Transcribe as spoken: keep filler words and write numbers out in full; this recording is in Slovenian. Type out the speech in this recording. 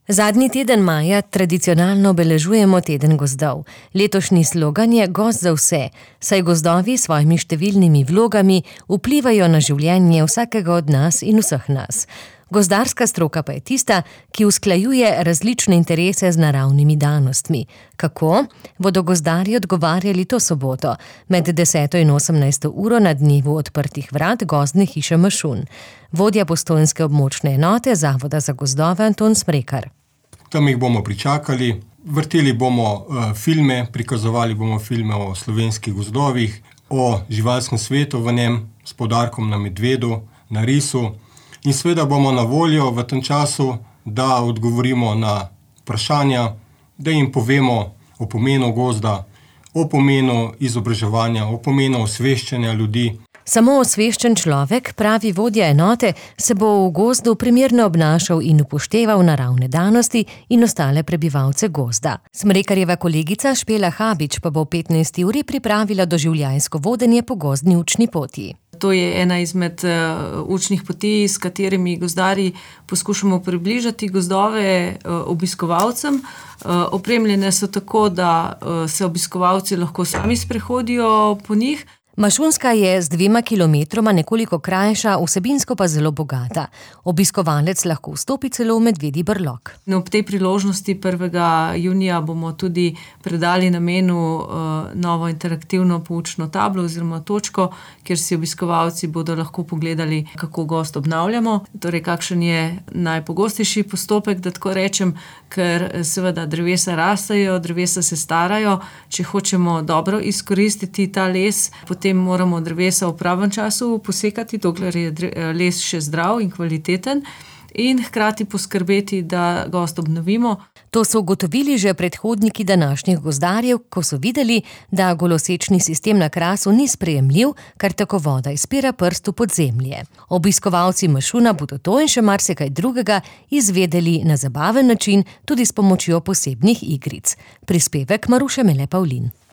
Zadnji teden maja tradicionalno obeležujemo teden gozdov. Letošnji slogan je Gozd za vse, saj gozdovi s svojimi številnimi vlogami vplivajo na življenje vsakega od nas in vseh nas. Gozdarska stroka pa je tista, ki usklajuje različne interese z naravnimi danostmi. Kako? Bodo gozdarji odgovarjali to soboto med deseto in osemnajsto uro na dnevu odprtih vrat Gozdne hiše Mašun. Vodja postojnske območne enote Zavoda za gozdove Anton Smrekar. Tam jih bomo pričakali, vrteli bomo uh, filme, prikazovali bomo filme o slovenskih gozdovih, o živalskem svetu v njem, s poudarkom na medvedu, na risu. In seveda bomo na voljo v tem času, da odgovorimo na vprašanja, da jim povemo o pomenu gozda, o pomenu izobraževanja, o pomenu osveščanja ljudi. Samo osveščen človek, pravi vodja enote, se bo v gozdu primerno obnašal in upošteval naravne danosti in ostale prebivalce gozda. Smrekarjeva kolegica Špela Habič pa bo v petnajsti uri pripravila doživljajsko vodenje po gozdni učni poti. To je ena izmed uh, učnih poti, s katerimi gozdarji poskušamo približati gozdove uh, obiskovalcem. Uh, opremljene so tako, da uh, se obiskovalci lahko sami sprehodijo po njih. Mašunska je z dvema kilometroma nekoliko krajša, vsebinsko pa zelo bogata. Obiskovalec lahko vstopi celo v medvedji brlog. No, ob tej priložnosti prvega junija bomo tudi predali namenu uh, novo interaktivno poučno tablo oziroma točko, kjer si obiskovalci bodo lahko pogledali, kako gozd obnavljamo. Torej, kakšen je najpogostejši postopek, da tako rečem, ker seveda drevesa rastejo, drevesa se starajo. Če hočemo dobro izkoristiti ta les, potem Potem moramo drevesa v pravem času posekati, dokler je les še zdrav in kvaliteten, in hkrati poskrbeti, da gozd obnovimo. To so ugotovili že predhodniki današnjih gozdarjev, ko so videli, da golosečni sistem na Krasu ni sprejemljiv, kar tako voda izpira prst v podzemlje. Obiskovalci Mašuna bodo to in še marsikaj drugega izvedeli na zabaven način, tudi s pomočjo posebnih igric. Prispevek Maruše Mele Pavlin.